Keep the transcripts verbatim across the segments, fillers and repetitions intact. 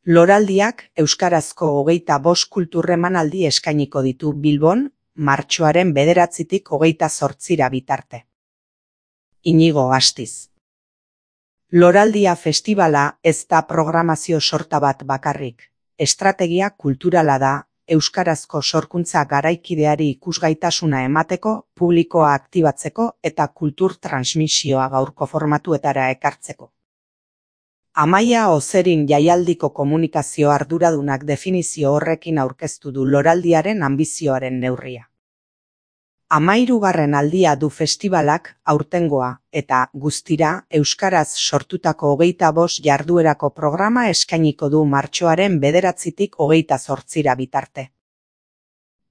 Loraldiak euskarazko hogeita bost kultur emanaldi eskainiko ditu Bilbon, martxoaren bederatzitik hogeita zortzira bitarte. Inigo Astiz. Loraldia festivala ez da programazio sorta bat bakarrik. Estrategia kulturala da, euskarazko sorkuntza garaikideari ikusgaitasuna emateko, publikoa aktibatzeko eta kultur transmisioa gaurko formatuetara ekartzeko. Amaia Ozerin jaialdiko komunikazio arduradunak definizio horrekin aurkeztu du loraldiaren anbizioaren neurria. Hamahirugarren aldia du festibalak aurtengoa eta guztira euskaraz sortutako hogeita bost jarduerako programa eskainiko du martxoaren bederatzitik hogeita zortzira bitarte.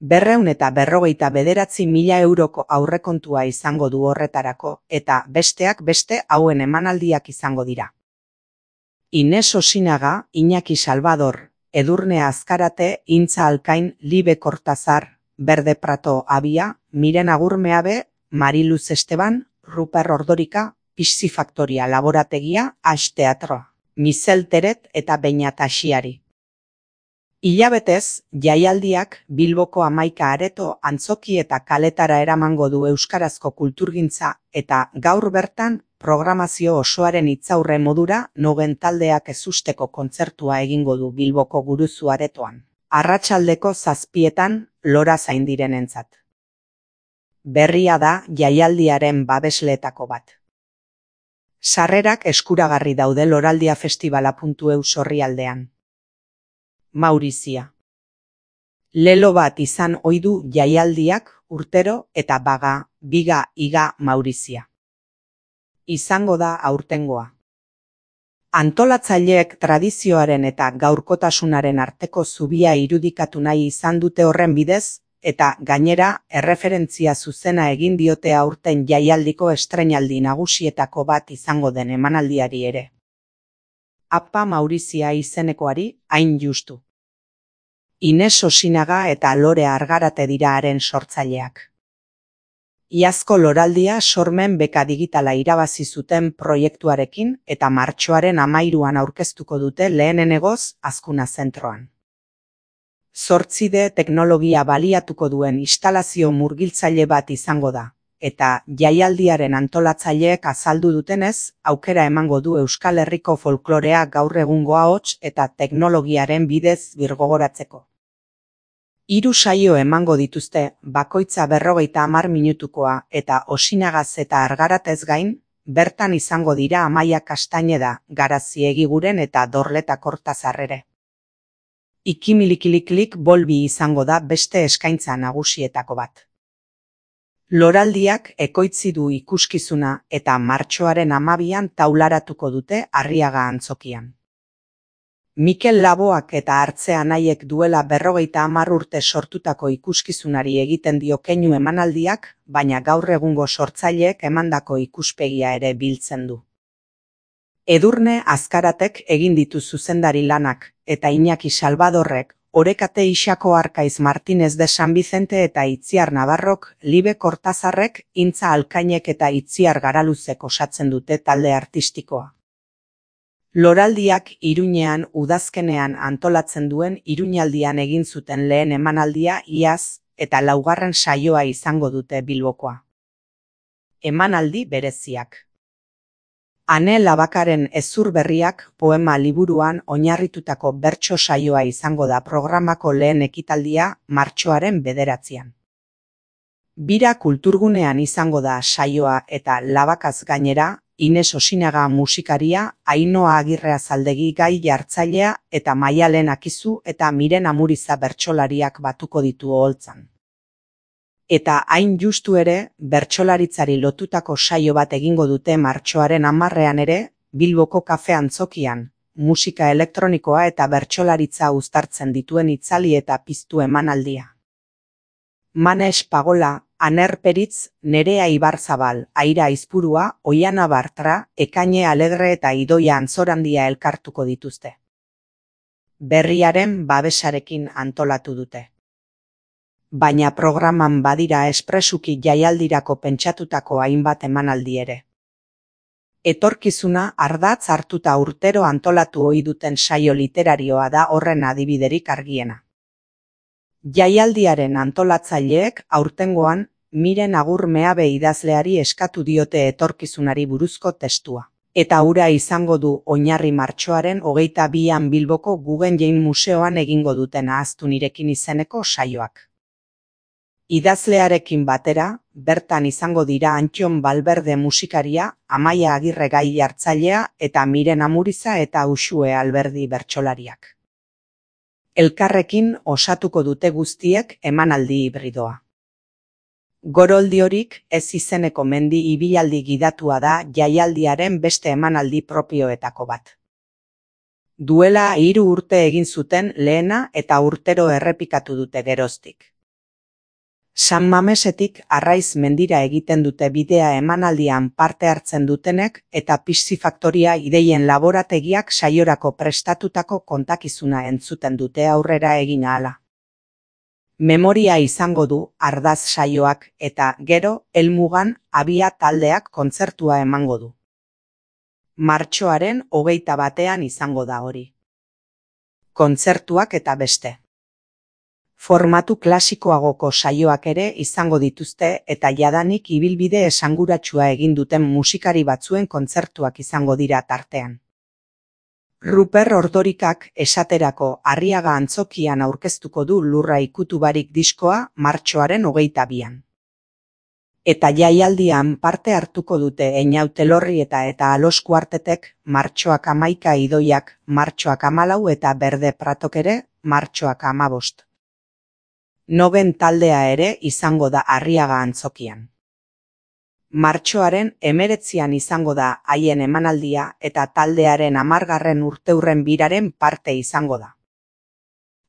Berreun eta berrogeita bederatzi mila euroko aurrekontua izango du horretarako eta besteak beste hauen emanaldiak izango dira. Ines Osinaga, Iñaki Salvador, Edurne Azkarate, Intza Alkain, Libe Kortazar, Berde Prato Abia, Miren Agurmeabe, Mariluz Esteban, Ruper Ordorika, Pixi Faktoria Laborategia, Ash Teatroa, Mizel Teret eta Beñat Asiari. Hilabetez, jaialdiak Bilboko hamaika areto antzoki eta kaletara eramango du euskarazko kulturgintza eta gaur bertan programazio osoaren hitzaurre modura nogen taldeak ezusteko kontzertua egingo du Bilboko Guruzu aretoan. Arratsaldeko zazpietan Lora zaindirenentzat. Berria da jaialdiaren babesleetako bat. Sarrerak eskuragarri daude loraldiafestivala puntu e u orrialdean. Maurizia. Lelo bat izan ohi du jaialdiak urtero eta baga, biga, iga Maurizia. Izango da aurtengoa. Antolatzaileek tradizioaren eta gaurkotasunaren arteko zubia irudikatu nahi izan dute horren bidez, eta gainera erreferentzia zuzena egin diote aurten jaialdiko estreinaldi nagusietako bat izango den emanaldiari ere. Apa Maurizia izenekoari hain justu. Ines Osinaga eta Lore Argarate dira haren sortzaileak. Iazko loraldia sormen beka digitala irabazi zuten proiektuarekin eta martxoaren hamahiruan aurkeztuko dute lehenenegoz Azkuna zentroan. Zortzide teknologia baliatuko duen instalazio murgiltzaile bat izango da, eta jaialdiaren antolatzaileek azaldu dutenez, aukera emango du Euskal Herriko folklorea gaur egungo ahots eta teknologiaren bidez birgogoratzeko. Hiru saio emango dituzte, bakoitza berrogeita hamar minutukoa eta Osinagaz eta Argaratez gain, bertan izango dira Amaia Kastaineda, Garazi Egiguren eta Dorleta Kortazar ere. Ikimilikiliklik bolbi izango da beste eskaintza nagusietako bat. Loraldiak ekoitzi du ikuskizuna eta martxoaren hamabian taularatuko dute Arriaga antzokian. Mikel Laboak eta Hartzea Nahiek duela berrogeita hamar urte sortutako ikuskizunari egiten dio keinu emanaldiak, baina gaur egungo sortzaileek emandako ikuspegia ere biltzen du. Edurne Azkaratek egin ditu zuzendari lanak, eta Iñaki Salvadorrek, Orekate Ixako Arkaiz Martinez de San Vicente eta Itziar Navarrok, Libe Kortazarrek, Intza Alkainek eta Itziar Garaluzek osatzen dute talde artistikoa. Loraldiak Iruñean udazkenean antolatzen duen Iruñaldian egin zuten lehen emanaldia iaz eta laugarren saioa izango dute Bilbokoa. Emanaldi bereziak. Ane Labakaren Hezur Berriak poema liburuan oinarritutako bertso saioa izango da programako lehen ekitaldia martxoaren bederatzian. Bira kulturgunean izango da saioa eta Labakaz gainera, Ines Osinaga musikaria, Ainhoa Agirre Azaldegi gai jartzailea eta Maialen Akizu eta Miren Amuriza bertsolariak batuko ditu oholtzan. Eta hain justu ere, bertsolaritzari lotutako saio bat egingo dute martxoaren hamarrean ere, Bilboko kafe antzokian, musika elektronikoa eta bertsolaritza uztartzen dituen itzali eta piztu emanaldia. Manes Pagola, Aner Peritz, Nerea Ibarzabal, Aira Aizpurua, Oiana Bartra, Ekaine Alegre eta Idoia Antzorandia elkartuko dituzte. Berriaren babesarekin antolatu dute. Baina programan badira espresuki jaialdirako pentsatutako hainbat emanaldi ere. Etorkizuna ardatz hartuta urtero antolatu ohi duten saio literarioa da horren adibiderik argiena. Jaialdiaren antolatzaileek aurtengoan Miren Agur Meabe idazleari eskatu diote etorkizunari buruzko testua. Eta hura izango du oinarri martxoaren hogeita bian Bilboko Guggenheim Museoan egingo duten Ahaztu nirekin izeneko saioak. Idazlearekin batera, bertan izango dira Antxon Balberde musikaria, Amaia Agirre gai hartzailea eta Miren Amuriza eta Uxue Alberdi bertsolariak. Elkarrekin osatuko dute guztiek emanaldi hibridoa. Goroldiorik ez izeneko mendi ibilaldi gidatua da jaialdiaren beste emanaldi propioetako bat. Duela hiru urte egin zuten lehena eta urtero errepikatu dute geroztik. San Mamesetik Arraiz mendira egiten dute bidea emanaldian parte hartzen dutenek eta Piscifaktoria ideien laborategiak saiorako prestatutako kontakizuna entzuten dute aurrera egin ahala. Memoria izango du ardaz saioak eta gero helmugan Abia taldeak kontzertua emango du. Martxoaren hogeita batean izango da hori. Kontzertuak eta beste. Formatu klasikoagoko saioak ere izango dituzte eta jadanik ibilbide esanguratsua egin duten musikari batzuen kontzertuak izango dira tartean. Ruper Ordorikak esaterako Arriaga Antzokian aurkeztuko du Lurra ikutu barik diskoa martxoaren hogeita bian. Eta jaialdian parte hartuko dute Einaute Lorri eta eta Alos Kuartetek, martxoak hamaika Idoiak, martxoak hamalau eta Berde Pratok ere, martxoak hamabost. Noben taldea ere izango da Arriaga Antzokian. Martxoaren hemeretzian izango da haien emanaldia eta taldearen hamargarren urteurren biraren parte izango da.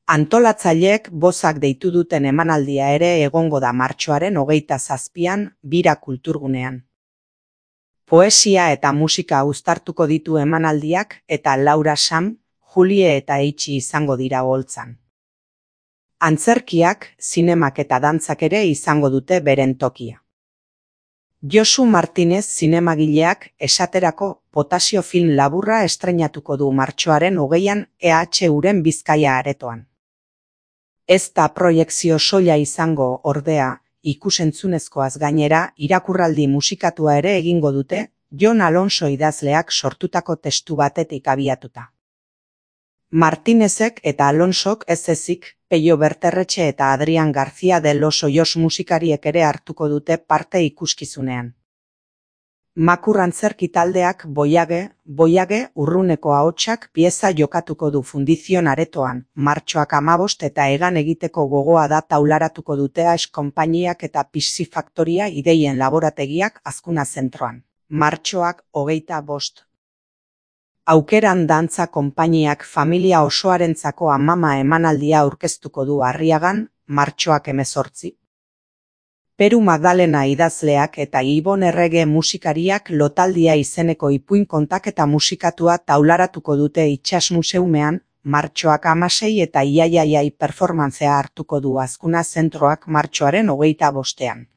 Antolatzaileek bozak deitu duten emanaldia ere egongo da martxoaren hogeita zazpian bira kulturgunean. Poesia eta musika uztartuko ditu emanaldiak eta Laura Sam, Julie eta Eitsi izango dira oholtzan. Antzerkiak, zinemak eta dantzak ere izango dute beren tokia. Josu Martinez zinemagileak esaterako Potasio film laburra estreinatuko du martxoaren hogeian E H Uren Bizkaia aretoan. Ez da proiekzio soila izango ordea, ikusentzunezkoaz gainera irakurraldi musikatua ere egingo dute, Jon Alonso idazleak sortutako testu batetik abiatuta. Martinezek eta Alonsok ez ezik, Peio Berterretxe eta Adrian García de los Hoyos musikariek ere hartuko dute parte ikuskizunean. Makur antzerki taldeak Boiage, Boiage urruneko ahotsak pieza jokatuko du Fundizion aretoan, martxoak hamabost eta egan egiteko gogoa da taularatuko dute Aes konpainiak eta Piscifaktoria ideien laborategiak Azkuna zentroan, martxoak hogeita bost. Aukeran dantza konpainiak familia osoarentzako amama emanaldia aurkeztuko du Arriagan, martxoak hemezortzi. Peru Magdalena idazleak eta Ibon Errege musikariak Lotaldia izeneko ipuin kontaketa musikatua taularatuko dute Itsas Museumean, martxoak hamasei eta Iaiaiai performantzea hartuko du Azkuna zentroak martxoaren hogeita bostean.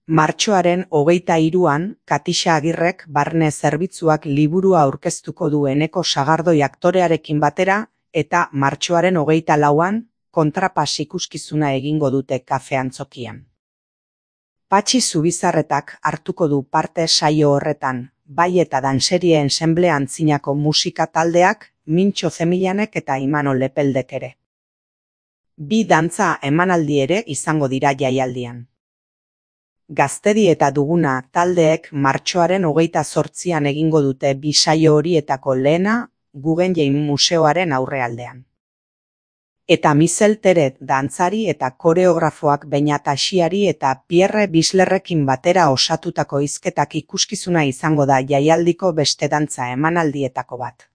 Martxoaren hogeita hiruan, Katixa Agirrek barne zerbitzuak liburua aurkeztuko du Eneko Sagardoi aktorearekin batera, eta martxoaren hogeita lauan, kontrapas ikuskizuna egingo dute Kafe Antzokian. Patxi Zubizarretak hartuko du parte saio horretan, bai eta danserie ensemble antzinako musika taldeak, Mintxo Zemillanek eta Imanol Lepeldek ere. Bi dantza emanaldi ere izango dira jaialdian. Gaztedi eta Duguna taldeek martxoaren hogeita zortzian egingo dute bi saio horietako lehena Guggenheim Museoaren aurrealdean. Eta Mizel Teret dantzari eta koreografoak Beñat Asiari eta Pierre Bislerrekin batera osatutako hizketak ikuskizuna izango da jaialdiko beste dantza emanaldietako bat.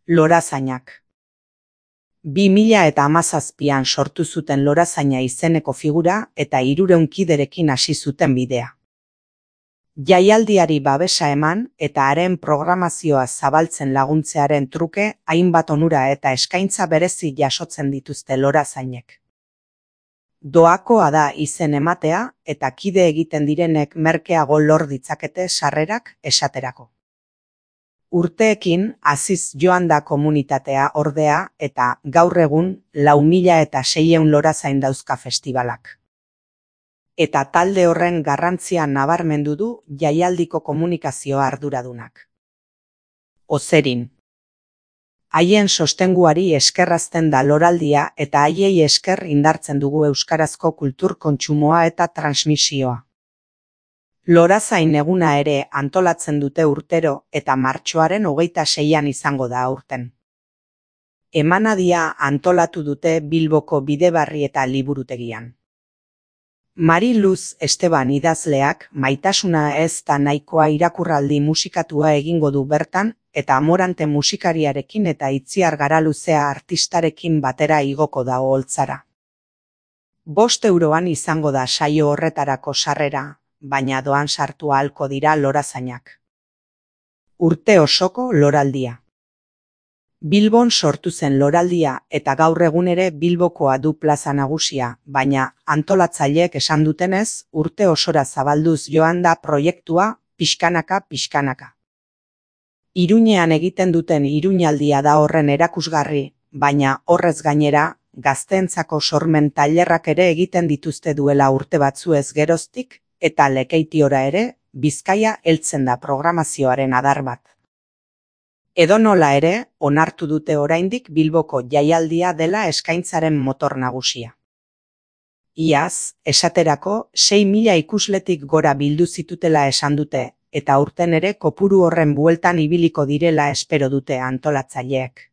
Lorazainak. Bi mila eta hamazazpian sortu zuten Lorazaina izeneko figura eta hirurehun kiderekin hasi zuten bidea. Jaialdiari babesa eman eta haren programazioa zabaltzen laguntzearen truke hainbat onura eta eskaintza berezi jasotzen dituzte Lorazainek. Doakoa da izen ematea eta kide egiten direnek merkeago lor ditzakete sarrerak esaterako. Urteekin haziz joan da komunitatea ordea eta gaur egun lau mila eta seiehun lorazain dauzka festibalak. Eta talde horren garrantzia nabarmendu du jaialdiko komunikazio arduradunak. Ozerin. Haien sostenguari eskerrazten da loraldia eta haiei esker indartzen dugu euskarazko kultur kontsumoa eta transmisioa. Lorazain eguna ere antolatzen dute urtero eta martxoaren hogeita seian izango da aurten. Emanadia antolatu dute Bilboko Bidebarri eta Liburutegian. Mari Luz Esteban idazleak Maitasuna ez da nahikoa irakurraldi musikatua egingo du bertan eta Amorante musikariarekin eta Itziar Garaluzea artistarekin batera igoko da oholtzara. Bost euroan izango da saio horretarako sarrera, baina doan sartu ahalko dira lorazainak. Urte osoko loraldia. Bilbon sortu zen loraldia eta gaur egun ere Bilbokoa du plaza nagusia, baina antolatzaileek esan dutenez urte osora zabalduz joan da proiektua pixkanaka pixkanaka. Iruñean egiten duten iruñaldia da horren erakusgarri, baina horrez gainera gazteentzako sormen tailerrak ere egiten dituzte duela urte batzuez geroztik eta Lekeitiora ere Bizkaia heltzen da programazioaren adar bat. Edonola ere, onartu dute oraindik Bilboko jaialdia dela eskaintzaren motor nagusia. Iaz, esaterako, sei mila ikusletik gora bildu zitutela esan dute, eta aurten ere kopuru horren bueltan ibiliko direla espero dute antolatzaileek.